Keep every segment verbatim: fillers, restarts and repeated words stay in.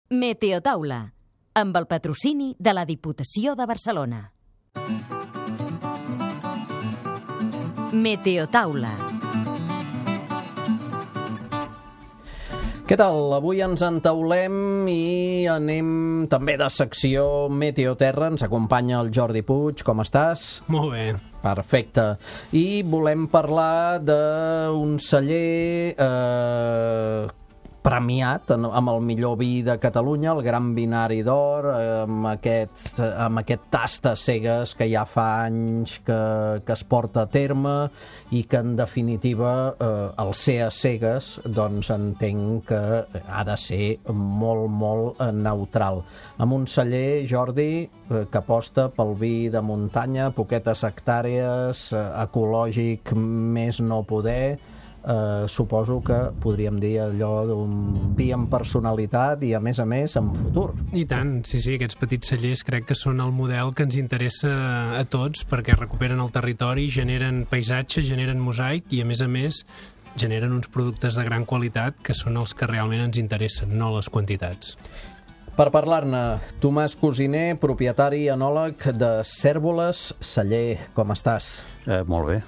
Meteotaula, amb el patrocini de la Diputació de Barcelona. Meteotaula. Què tal? Avui ens entaulem i anem també de secció Meteoterra. Ens acompanya el Jordi Puig. Com estàs? Molt bé. Perfecte. I volem parlar d'un celler eh, premiat amb el millor vi de Catalunya, el Gran Vinari d'Or, amb aquest, amb aquest tast a cegues que ja fa anys que, que es porta a terme i que, en definitiva, eh, el ser a cegues, doncs entenc que ha de ser molt, molt eh, neutral. Amb un celler, Jordi, eh, que aposta pel vi de muntanya, poquetes hectàrees, eh, ecològic més no poder. Uh, suposo que podríem dir allò d'un vi amb personalitat i, a més a més, amb futur. I tant, sí, sí, aquests petits cellers crec que són el model que ens interessa a tots, perquè recuperen el territori, generen paisatge, generen mosaic i, a més a més, generen uns productes de gran qualitat que són els que realment ens interessen, no les quantitats. Per parlar-ne, Tomàs Cosiner, propietari i enòleg de Cérvoles Celler. Com estàs? Eh, molt bé.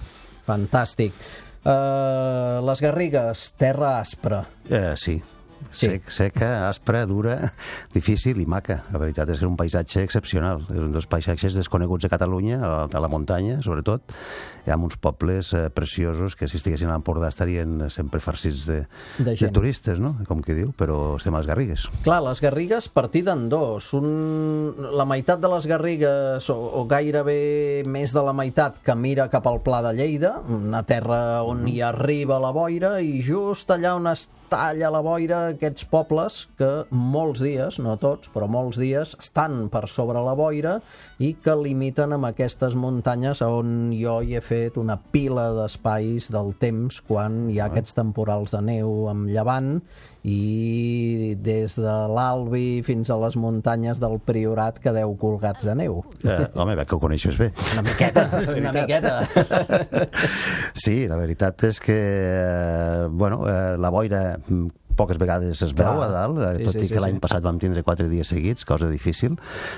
Fantàstic. Uh, les Garrigues, terra aspra. Eh, sí. Sí. Sec, seca, aspra, dura, difícil i maca. La veritat és que és un paisatge excepcional. És un dels paisatges desconeguts de Catalunya, a la, a la muntanya, sobretot. Hi ha uns pobles eh, preciosos que, si estiguessin a l'Empordà, estarien sempre farcits de, de, de turistes, no? Com qui diu, però estem a les Garrigues. Clar, les Garrigues partida en dos. Un... La meitat de les Garrigues, o, o gairebé més de la meitat, que mira cap al Pla de Lleida, una terra on hi arriba la boira, i just allà on es talla la boira, aquests pobles que molts dies, no tots, però molts dies, estan per sobre la boira i que limiten amb aquestes muntanyes on jo hi he fet una pila d'espais del temps quan hi ha aquests temporals de neu amb llevant, i des de l'Albi fins a les muntanyes del Priorat quedeu colgats de neu. Eh, home, veig que ho coneixes bé. Una miqueta, una miqueta. Sí, la veritat és que, eh, bueno, eh, la boira poques vegades es veu a dalt, sí, tot sí, i que sí, l'any sí. passat vam tindre quatre dies seguits, cosa difícil.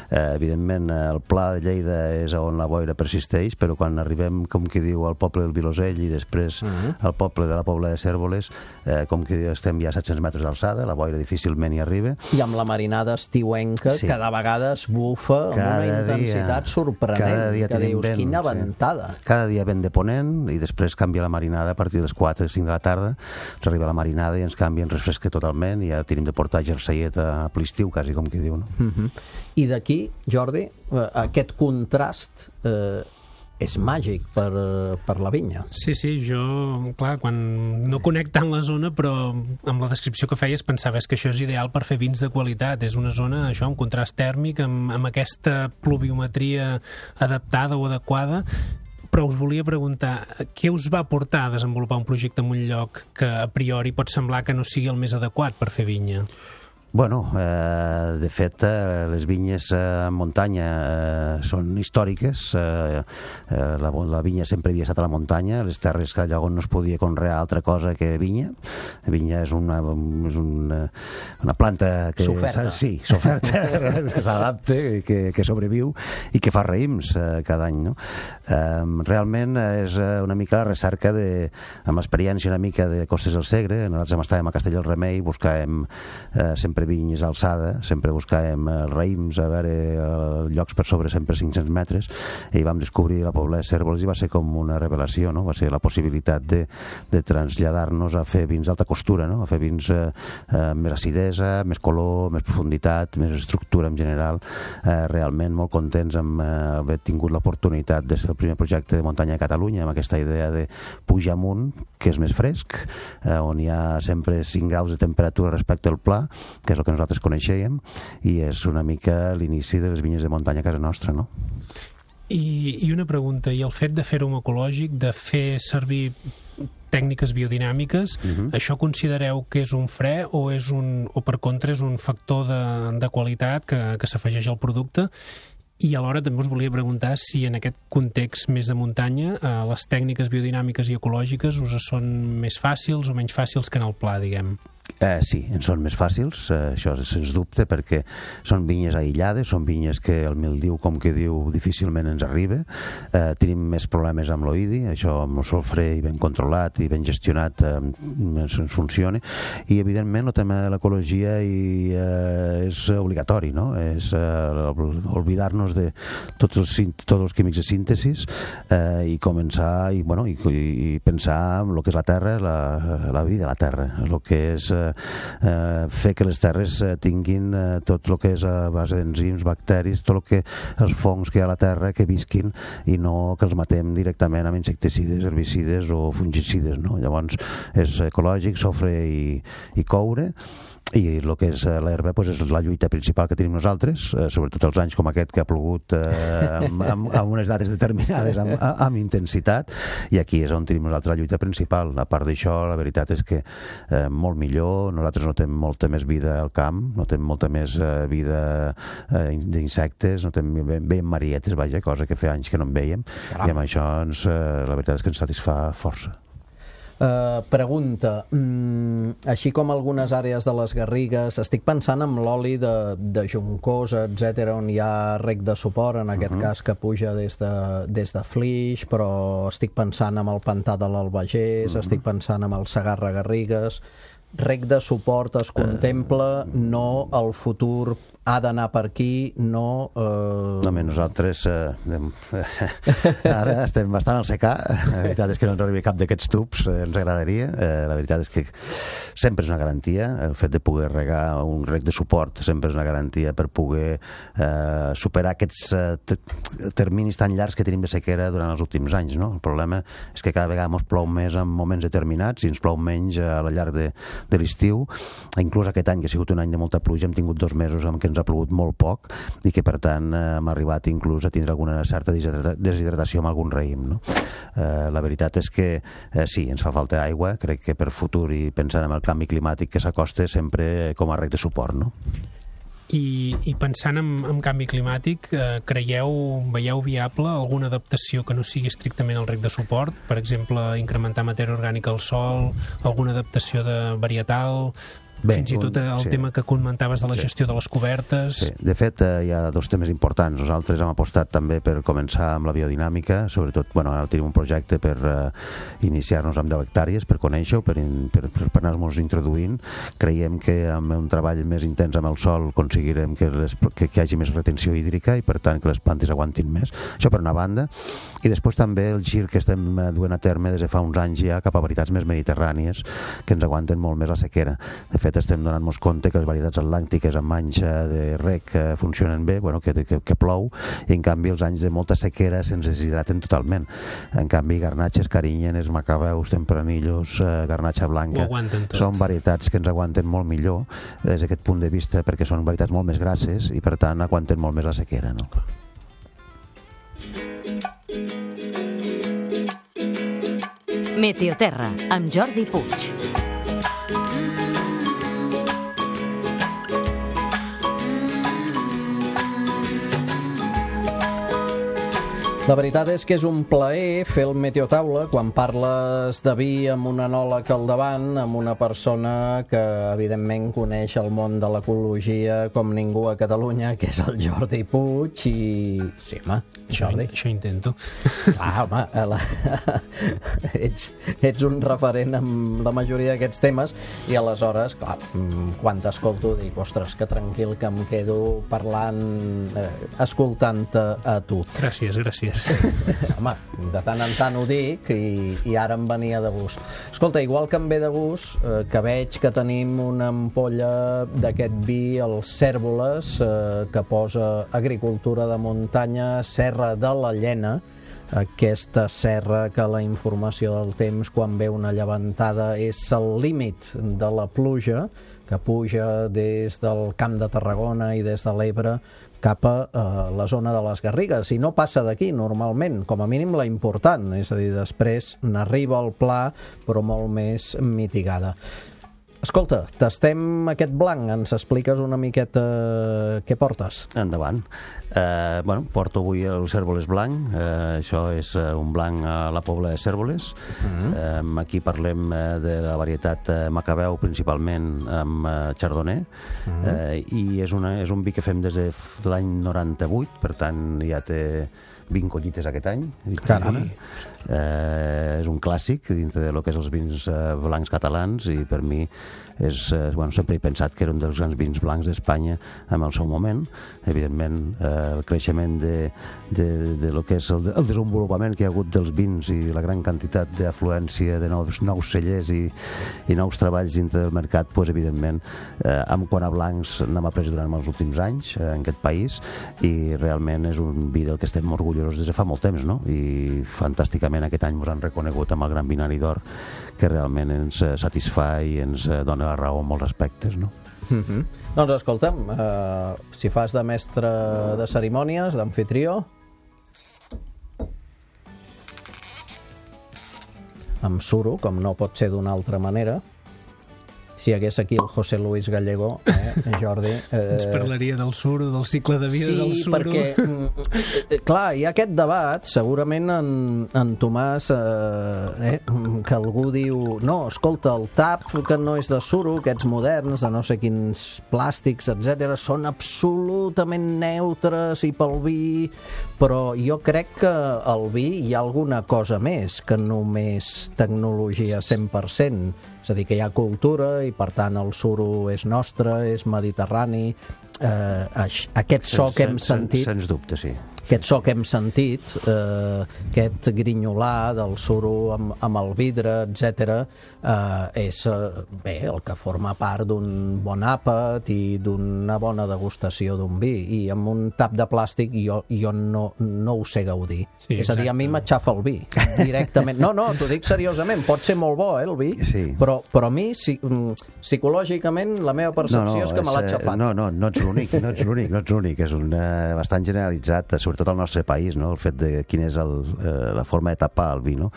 Eh, evidentment, el Pla de Lleida és on la boira persisteix, però quan arribem, com qui diu, al poble del Vilosell i després uh -huh. al poble de la Pobla de Cérvoles, eh, com qui diu, estem ja a set-cents metres d'alçada, la boira difícilment hi arriba. I amb la marinada estiuenca, sí. cada vegada es bufa amb cada una intensitat dia, sorprenent, cada dia que dius, vent, quina ventada. Sí. Cada dia vent de ponent i després canvia la marinada a partir de les quatre o cinc de la tarda, ens arriba la marinada i ens canvia, ens refresca totalment, i ja tenim de portar jerseiet a l'estiu, quasi, com qui diu, no? Uh -huh. I d'aquí, Jordi, aquest contrast eh, és màgic per, per la vinya. Sí, sí, jo, clar, quan no conec tant la zona, però amb la descripció que feies pensaves que això és ideal per fer vins de qualitat. És una zona, això, amb contrast tèrmic, amb, amb aquesta pluviometria adaptada o adequada. Però us volia preguntar, què us va portar a desenvolupar un projecte en un lloc que a priori pot semblar que no sigui el més adequat per fer vinya? Bueno, eh, de fet, eh, les vinyes eh, en muntanya eh, són històriques. Eh, eh, la, la vinya sempre havia estat a la muntanya, les terres que llavors no es podia conrear altra cosa que vinya. La vinya és una, és una, una planta que... S'oferta. Sí, s'oferta, que s'adapta, que, que sobreviu i que fa raïms eh, cada any, no? Eh, realment és una mica la recerca de, amb l'experiència una mica de Costes del Segre. Nosaltres estàvem a Castell del Remei, buscàvem eh, sempre vinyes a alçada, sempre buscàvem eh, raïms, a veure eh, llocs per sobre sempre cinc-cents metres, i vam descobrir la Pobla de Cérvoles i va ser com una revelació, no? Va ser la possibilitat de, de traslladar-nos a fer vins d'alta costura, no? A fer vins eh, eh, més acidesa, més color, més profunditat, més estructura en general. Eh, realment molt contents amb eh, haver tingut l'oportunitat de ser el primer projecte de muntanya a Catalunya, amb aquesta idea de pujar amunt, que és més fresc, eh, on hi ha sempre cinc graus de temperatura respecte al pla, que és el que nosaltres coneixíem, i és una mica l'inici de les vinyes de muntanya a casa nostra, no? I, i una pregunta, i el fet de fer-ho ecològic, de fer servir tècniques biodinàmiques, uh-huh. això considereu que és un fre o, és un, o per contra és un factor de, de qualitat que, que s'afegeix al producte? I alhora també us volia preguntar si en aquest context més de muntanya eh, les tècniques biodinàmiques i ecològiques us són més fàcils o menys fàcils que en el pla, diguem. Eh, sí, en són més fàcils, eh, això sens dubte, perquè són vinyes aïllades, són vinyes que el mildiu, com que diu, difícilment ens arriba. Eh, tenim més problemes amb l'oïdi, això amb el sofre i ben controlat i ben gestionat eh, ens funciona. I, evidentment, el tema de l'ecologia i, eh, és obligatori, no? És eh, oblidar-nos de tots els, tots els químics de síntesis eh, i començar i, bueno, i, i pensar en el que és la terra, la, la vida de la terra, el que és eh, eh, fer que les terres eh, tinguin eh, tot el que és a base d'enzims, bacteris, tot el que els fongs que hi ha a la terra que visquin i no que els matem directament amb insecticides, herbicides o fungicides, no? Llavors és ecològic, sofre i, i coure, i el que és l'herba pues, és la lluita principal que tenim nosaltres, eh, sobretot els anys com aquest que ha plogut eh, amb, amb, amb unes dates determinades amb, amb intensitat, i aquí és on tenim nosaltres la lluita principal. A part d'això, la veritat és que eh, molt millor, nosaltres notem molta més vida al camp, notem molta més eh, vida eh, d'insectes, notem ben, ben marietes, vaja, cosa que fa anys que no en veiem. Caram. I amb això ens, eh, la veritat és que ens satisfà força. Uh, pregunta, mm, així com algunes àrees de les Garrigues, estic pensant en l'oli de, de Juncosa, etcètera, on hi ha rec de suport, en aquest uh-huh. cas que puja des de, des de Flix, però estic pensant en el pantà de l'Albagés, uh-huh. estic pensant en el Segarra Garrigues. Rec de suport es contempla, no el futur ha d'anar per aquí, no... Eh... No, bé, nosaltres eh, ara estem bastant al secà. La veritat és que no ens arribi cap d'aquests tubs, eh, ens agradaria. Eh, la veritat és que sempre és una garantia. El fet de poder regar un rec de suport sempre és una garantia per poder eh, superar aquests eh, terminis tan llargs que tenim de sequera durant els últims anys, no? El problema és que cada vegada ens plou més en moments determinats i ens plou menys a la llarg de, de l'estiu. Inclús aquest any, que ha sigut un any de molta pluja, hem tingut dos mesos en què ens ha plogut molt poc i que per tant eh, hem arribat inclús a tindre alguna certa deshidratació amb algun raïm, no? Eh, la veritat és que eh, sí, ens fa falta aigua, crec que per futur i pensant en el canvi climàtic que s'acosta sempre com a rec de suport, no? I, i pensant en, en canvi climàtic, eh, creieu, veieu viable alguna adaptació que no sigui estrictament el rec de suport? Per exemple, incrementar matèria orgànica al sòl, alguna adaptació de varietal... Bé, fins i tot el sí. tema que comentaves de la gestió sí. de les cobertes. Sí. De fet, eh, hi ha dos temes importants. Nosaltres hem apostat també per començar amb la biodinàmica, sobretot, bueno, ara tenim un projecte per eh, iniciar-nos amb deu hectàrees, per conèixer-ho, per, per, per, per anar-nos introduint. Creiem que amb un treball més intens amb el sol aconseguirem que, les, que, que hi hagi més retenció hídrica i, per tant, que les plantes aguantin més. Això per una banda. I després també el gir que estem duent a terme des de fa uns anys ja cap a varietats més mediterrànies que ens aguanten molt més la sequera. De fet, estem donant-nos compte que les varietats atlàntiques amb manxa de rec funcionen bé, bueno, que, que, que plou, i en canvi els anys de molta sequera se'ns deshidraten totalment. En canvi, garnatxes, carinyenes, macabeus, tempranillos, eh, garnatxa blanca, són varietats que ens aguanten molt millor des d'aquest punt de vista, perquè són varietats molt més grasses i per tant aguanten molt més la sequera, no? Meteoterra, amb Jordi Puig. La veritat és que és un plaer fer el Meteotaula quan parles de vi amb un enòleg al davant, amb una persona que evidentment coneix el món de l'ecologia com ningú a Catalunya, que és el Jordi Puig. I... Sí, home, Jordi. Això, això intento. Ah, home, la... ets, ets un referent en la majoria d'aquests temes i aleshores, clar, quan t'escolto dic, ostres, que tranquil que em quedo parlant, eh, escoltant-te a tu. Gràcies, gràcies. Home, de tant en tant ho dic i, i ara em venia de gust. Escolta, igual que em ve de gust, eh, que veig que tenim una ampolla d'aquest vi, el Cérvoles, eh, que posa agricultura de muntanya, Serra de la Llena, aquesta serra que la informació del temps, quan ve una llevantada, és el límit de la pluja, que puja des del Camp de Tarragona i des de l'Ebre cap a eh, la zona de les Garrigues, i no passa d'aquí normalment, com a mínim la important, és a dir, després n'arriba al Pla, però molt més mitigada. Escolta, tastem aquest blanc, ens expliques una miqueta què portes? Endavant. Eh, bueno, porto avui el Cérvoles blanc, eh, això és un blanc a la Pobla de Cérvoles. Uh-huh. eh, aquí parlem eh, de la varietat eh, Macabeu, principalment amb eh, Chardonnay, uh-huh. eh, i és, una, és un vi que fem des de l'any noranta-vuit, per tant ja té vint collites aquest any. Caram. Eh, és un clàssic dintre de lo que és els vins eh, blancs catalans, i per mi és, eh, bueno, sempre he pensat que era un dels grans vins blancs d'Espanya en el seu moment. Evidentment, eh, el creixement de, de, de lo que és el, el desenvolupament que hi ha hagut dels vins i la gran quantitat d'afluència de nous, nous cellers i, i nous treballs dintre del mercat, pues, evidentment, eh, amb quant a blancs n'hem après durant els últims anys eh, en aquest país, i realment és un vi del que estem orgullosos des de fa molt temps, no? I fantàsticament aquest any ens han reconegut amb el Gran Binari d'Or, que realment ens satisfà i ens dona la raó en molts aspectes, no? Mm-hmm. Doncs escolta'm, eh, si fas de mestre de cerimònies, d'amfitrió, amb suro, com no pot ser d'una altra manera. Si hi hagués aquí el José Luis Gallego, eh, Jordi... Eh... Ens parlaria del suro, del cicle de vida sí, del suro. Sí, perquè, clar, hi ha aquest debat, segurament en, en Tomàs, eh, eh, que algú diu, no, escolta, el tap, que no és de suro, aquests moderns, de no sé quins plàstics, etcètera, són absolutament neutres i pel vi, però jo crec que al vi hi ha alguna cosa més que només tecnologia cent per cent. És a dir, que hi ha cultura i, per tant, el suro és nostre, és mediterrani. Eh, aquest so que hem sentit... Sens dubte, sí. Aquest so que hem sentit, eh, aquest grinyolar del suro amb, amb el vidre, etcètera, eh, és eh, bé, el que forma part d'un bon àpat i d'una bona degustació d'un vi. I amb un tap de plàstic jo, jo no, no ho sé gaudir. Sí, és a dir, a mi m'aixafa el vi, directament. No, no, t'ho dic seriosament, pot ser molt bo, eh, el vi, sí. però, però a mi, si, psicològicament, la meva percepció no, no, és que me l'ha aixafat. No, no, no ets l'únic, no ets l'únic, no ets l'únic, és un, uh, bastant generalitzat, sobretot al nostre país, no? El fet de quina és el, eh, la forma de tapar el vi, no?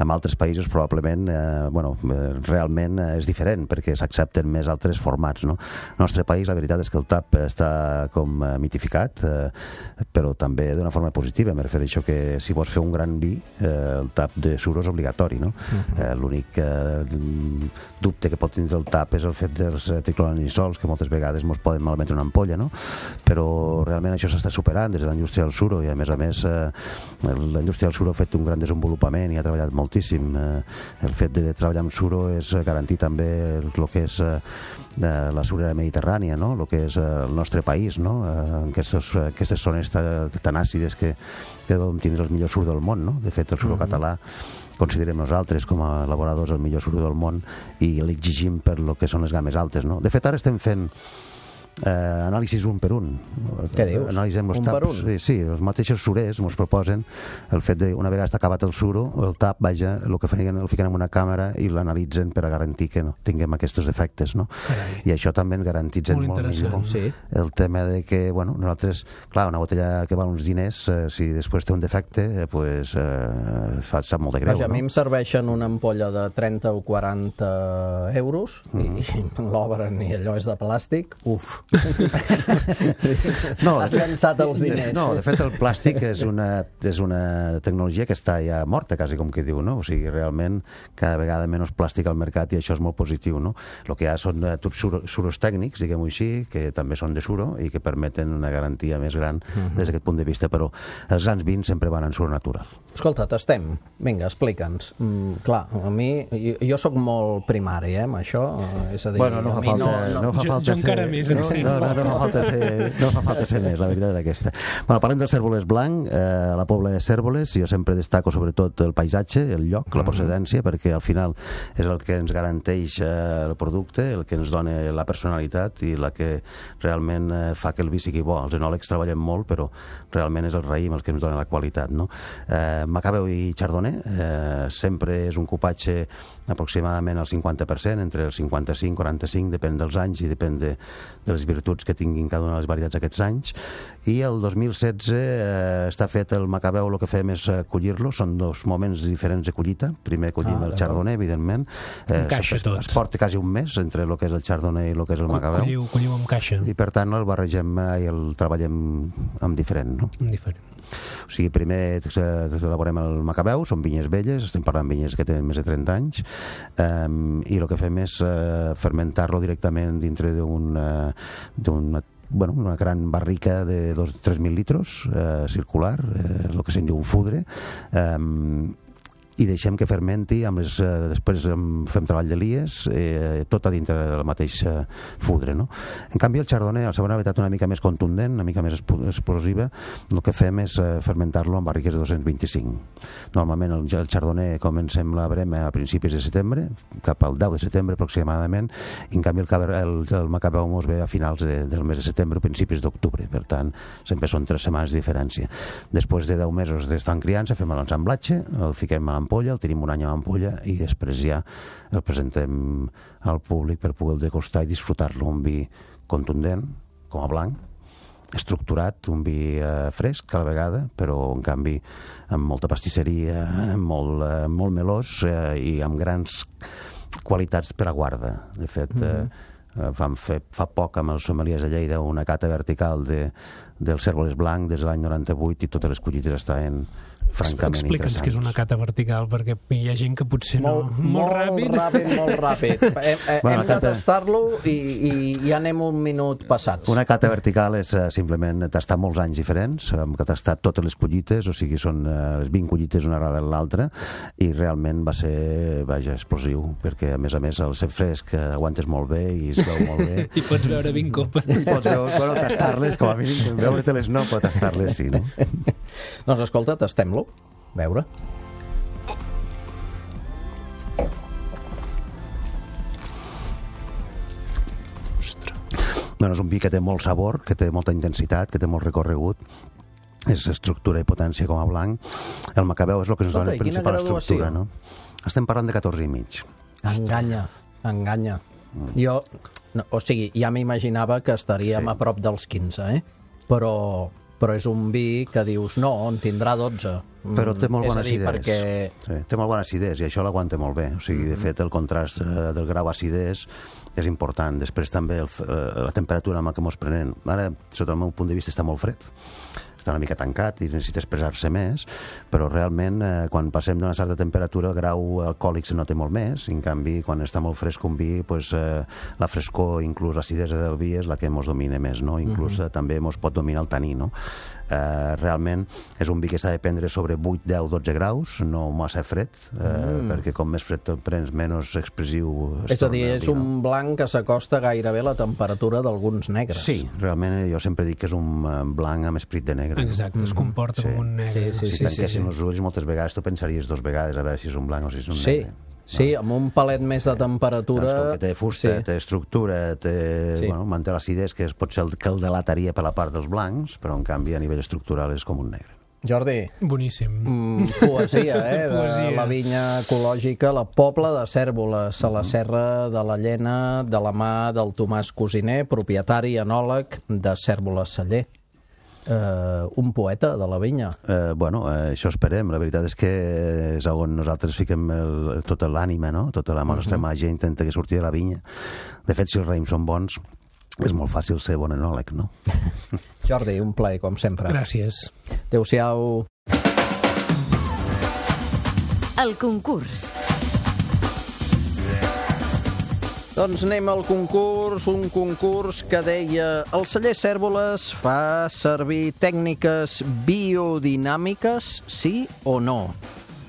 En altres països probablement eh, bueno, eh, realment eh, és diferent, perquè s'accepten més altres formats, no? El nostre país, la veritat és que el tap està com eh, mitificat, eh, però també d'una forma positiva. Me refereixo que si vols fer un gran vi, eh, el tap de suro és obligatori, no? Uh-huh. eh, l'únic eh, dubte que pot tindre el tap és el fet dels tricloranisols, que moltes vegades ens poden malmetre una ampolla, no? Però realment això s'està superant des de la indústria del suro, i a més a més eh, la indústria del suro ha fet un gran desenvolupament i ha treballat moltíssim. Eh, el fet de treballar amb suro és garantir també el que és eh, la surera mediterrània, no? El que és eh, el nostre país, no? Eh, aquestes, aquestes zones tan àcides que, que vam tindre el millor suro del món, no? De fet, el suro mm-hmm. català considerem nosaltres com a elaboradors el millor suro del món i l'exigim per lo que són les games altes, no? De fet, ara estem fent Eh, anàlisis un per un. Què dius? Analitzem els un taps. per un? Sí, sí, els mateixos surers ens proposen el fet de, una vegada està acabat el suro, el tap, vaja, el que feien, el fiquen en una càmera i l'analitzen per a garantir que no tinguem aquests defectes, no? Carai. I això també en garantitza molt, molt millor. Sí. El tema de que, bueno, nosaltres, clar, una botella que val uns diners, eh, si després té un defecte, eh, pues, eh, fa, sap molt de greu, vaja, no? A mi em serveixen una ampolla de trenta o quaranta euros mm-hmm. i l'obren i allò és de plàstic, uf. No, has llançat els diners. No, de fet el plàstic és una, és una tecnologia que està ja morta, quasi com que diu, no? O sigui, realment cada vegada menys plàstic al mercat i això és molt positiu, no? El que hi ha són suros, suros tècnics, diguem-ho així, que també són de suro i que permeten una garantia més gran uh-huh. des d'aquest punt de vista, però els grans vins sempre van en suro natural. Escolta, tastem. Vinga, explica'ns. Mm, clar, a mi, jo, jo sóc molt primari, eh, amb això, és a dir, bueno, no a fa mi falta, no... no... no fa jo, falta jo encara ser, més, em no, sembla. No, no, no, fa falta ser, no fa falta ser més, la veritat és aquesta. Bueno, parlem del Cérvoles blanc, eh, la Pobla de Cérvoles, jo sempre destaco sobretot el paisatge, el lloc, la procedència, perquè al final és el que ens garanteix eh, el producte, el que ens dona la personalitat i la que realment eh, fa que el vi sigui bo. Els enòlegs treballem molt, però realment és el raïm el que ens dona la qualitat, no? Eh, Macabeu i Chardonnay eh, sempre és un cupatge aproximadament al cinquanta per cent, entre el cinquanta-cinc i quaranta-cinc, depèn dels anys i depèn de, dels les virtuts que tinguin cada una de les varietats aquests anys. I el dos mil setze eh, està fet el Macabeu, el que fem és collir-lo, són dos moments diferents de collita. Primer collim ah, el Chardonnay, evidentment. Eh, Encaixa es, tot. Es porta quasi un mes entre el que és el Chardonnay i el que és el Macabeu. Colliu, colliu amb caixa. I per tant el barregem i el treballem amb diferent, no? Amb diferent. O sigui, primer elaborem el Macabeu, són vinyes velles, estem parlant de vinyes que tenen més de trenta anys, um, i el que fem és uh, fermentar-lo directament dintre d'un uh, bueno, una gran barrica de dos tres mil litros uh, circular, uh, el que se'n diu un fudre, um, i deixem que fermenti, amb les, eh, després fem treball de lies, eh, tot a dintre de la mateixa fudre, no? En canvi, el Chardonnay, al ser una varietat una mica més contundent, una mica més explosiva, el que fem és eh, fermentar-lo en barriques de dos-cents vint-i-cinc. Normalment el, el Chardonnay comencem la brema a principis de setembre, cap al deu de setembre aproximadament, i en canvi el, el, el Macabeu mos ve a finals de, del mes de setembre o principis d'octubre, per tant, sempre són tres setmanes de diferència. Després de deu mesos d'estar en criança, fem l'ensamblatge, el fiquem a l'ampolla, el tenim un any a l'ampolla i després ja el presentem al públic per poder degustar i disfrutar-lo. Un vi contundent, com a blanc, estructurat, un vi eh, fresc a la vegada, però en canvi amb molta pastisseria, molt, eh, molt melós eh, i amb grans qualitats per a guarda. De fet, mm-hmm. eh, vam fer fa poc amb els sommeliers de Lleida una cata vertical de, del cérvoles blanc des de l'any noranta-vuit i totes les collites estaven francament Explica'ns què és una cata vertical, perquè hi ha gent que potser no... Molt, molt, molt ràpid. Molt ràpid, molt ràpid. Hem, bueno, hem de cata... tastar-lo i, i ja anem un minut passats. Una cata vertical és uh, simplement tastar molts anys diferents, hem tastat totes les collites, o sigui, són uh, les vint collites una darrere l'altra, i realment va ser, vaja, explosiu, perquè a més a més el ser fresc uh, aguantes molt bé i es veu molt bé. I pots veure vint copes. I pots veure, bueno, tastar-les, com a mínim, veure-te-les no, però tastar-les sí, no? Doncs escolta, tastem-lo. Veure. Ostres. Bueno, és un vi que té molt sabor, que té molta intensitat, que té molt recorregut, és estructura i potència com a blanc. El Macabeu és el que ens dona la principal estructura, no? Estem parlant de catorze i mig. Enganya, enganya. Mm. Jo, no, o sigui, ja m'imaginava que estaríem sí. a prop dels quinze, eh? Però... però és un vi que dius, no, en tindrà dotze. Però té molt bona acidesa. Perquè... Sí, té molt bona acidesa i això l'aguanta molt bé. O sigui, de fet, el contrast eh, del grau acidès és important. Després també el, eh, la temperatura amb la que mos prenen. Ara, sota el meu punt de vista, està molt fred. Està una mica tancat i necessita expressar-se més, però realment eh, quan passem d'una certa temperatura el grau alcohòlic se nota molt més, i en canvi quan està molt fresc un vi, pues, eh, la frescor, inclús l'acidesa del vi és la que mos domina més, no? Inclús uh -huh. eh, també mos pot dominar el taní, no? Eh, realment és un vi que s'ha de prendre sobre vuit, deu, dotze graus, no massa fred, eh, mm. perquè com més fred te'l prens, menys expressiu es és a dir, és un blanc que s'acosta gairebé a la temperatura d'alguns negres. Sí, realment jo sempre dic que és un blanc amb esperit de negre. Exacte, no? Es comporta sí. com un negre. Sí, sí, si sí, tanquessin sí, sí. els ulls moltes vegades tu pensaries dos vegades a veure si és un blanc o si és un sí. negre. Sí, amb un palet més de temperatura... Doncs com que té fusta, sí. té estructura, té, sí. bueno, manté l'acidesa, que és, pot ser el que el delataria per la part dels blancs, però en canvi a nivell estructural és com un negre. Jordi. Boníssim. Mm, poesia, eh? Poesia. De la vinya ecològica, la Pobla de Cérvoles, a la Serra de la Llena, de la mà del Tomàs Cosiner, propietari i enòleg de Cérvoles Celler. Uh, un poeta de la vinya. Uh, bueno, uh, això esperem. La veritat és que és on nosaltres fiquem el, tota l'ànima, no? Tota la nostra uh -huh. màgia intenta que surti de la vinya. De fet, si els raïms són bons, és molt fàcil ser bon enòleg, no? Jordi, un plaer, com sempre. Gràcies. Adéu-siau. El concurs. Doncs anem al concurs, un concurs que deia el celler Cérvoles fa servir tècniques biodinàmiques, sí o no?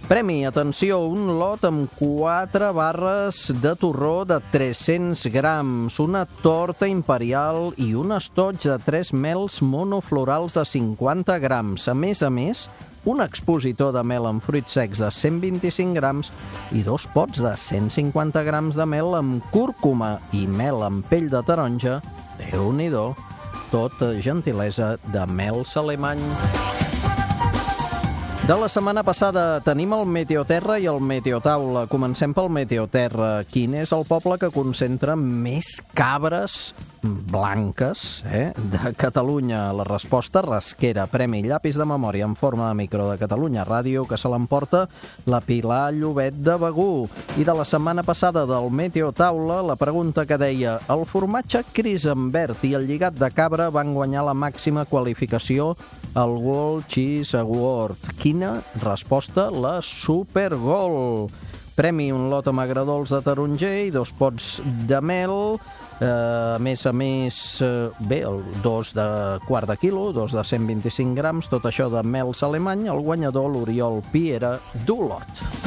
Premi, atenció, un lot amb quatre barres de torró de tres-cents grams, una torta imperial i un estoig de tres mels monoflorals de cinquanta grams. A més a més, un expositor de mel amb fruits secs de cent vint-i-cinc grams i dos pots de cent cinquanta grams de mel amb cúrcuma i mel amb pell de taronja. Déu-n'hi-do, tot gentilesa de Mels Alemany. De la setmana passada tenim el Meteoterra i el Meteotaula. Comencem pel Meteoterra. Quin és el poble que concentra més cabres blanques, eh? De Catalunya. La resposta, rasquera, premi llapis de memòria en forma de micro de Catalunya Ràdio, que se l'emporta la Pilar Llobet de Begur. I de la setmana passada del Meteo Taula, la pregunta que deia: el formatge Crisenbert i el lligat de cabra van guanyar la màxima qualificació al World Cheese Award. Quina resposta? La Supergol. Premi un lot amb agradols de taronger i dos pots de mel. Eh, a més a més, eh, bé, el dos de quart de quilo, dos de cent vint-i-cinc grams, tot això de mels alemany, el guanyador l'Oriol Piera d'Olot.